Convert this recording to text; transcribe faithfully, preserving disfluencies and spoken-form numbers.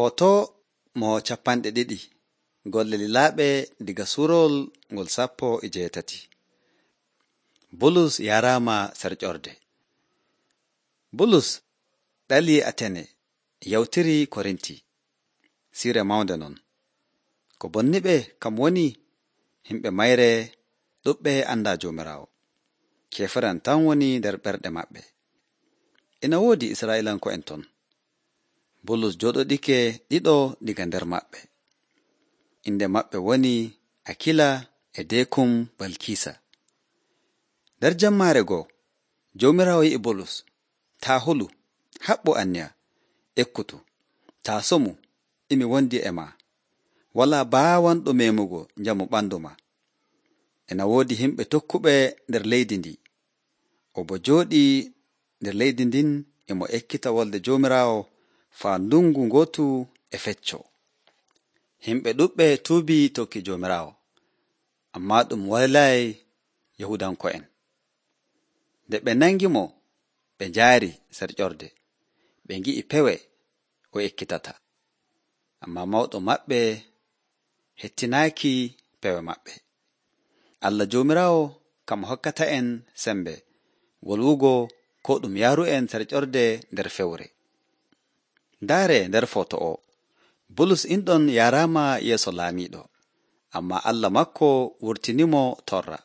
Foto mo capanɗe ɗiɗi golle lilaaɓe diga suurowol ngol sappo e jeetati. Bulus yaraama sarƴorde. Bulus ɗalii Atene yawtiri Korinti. Siire mawnde non. Ko bonniɓe kam woni himɓe mayre ɗuɓɓe anndaa Joomiraawo. Keefaran tan woni nder ɓerɗe maɓɓe. Ina woodi Israa'iilanko'en ton. Bulus jooɗodike ɗiɗo diga nder maɓɓe. Inde maɓɓe woni Akila e Deekum Balkiisa. Nder jammaare goo, Joomiraawo yi'i Bulus, taa hulu, haɓɓu anniya, ekkutu, taa somu, imi wondi e maa, walaa baawanɗo meemugo njamu ɓandu maa. Ena woodi himɓe tokkuɓe nder leydi ndi. O bo jooɗii nder leydi ndin e mo ekkita wolde Joomiraawo faa ndungu gootu e fecco. Himɓe ɗuɓɓe tuubii tokki Joomiraawo, ammaa ɗum waylaayi Yahuudanko'en. Nde ɓe nangi mo, ɓe njaari sarƴorde, ɓe ngi'i pewe o ekkitata. Ammaa mawɗo maɓɓe hettinaaki pewe maɓɓe. Allah Joomiraawo kam hokkata en sembe wolwugo ko ɗum yaaru en sarƴorde nder fewre. Ndaare nder foto o, Bulus inɗon yaraama yeeso laamiiɗo, ammaa Allah makko wurtinimo torra.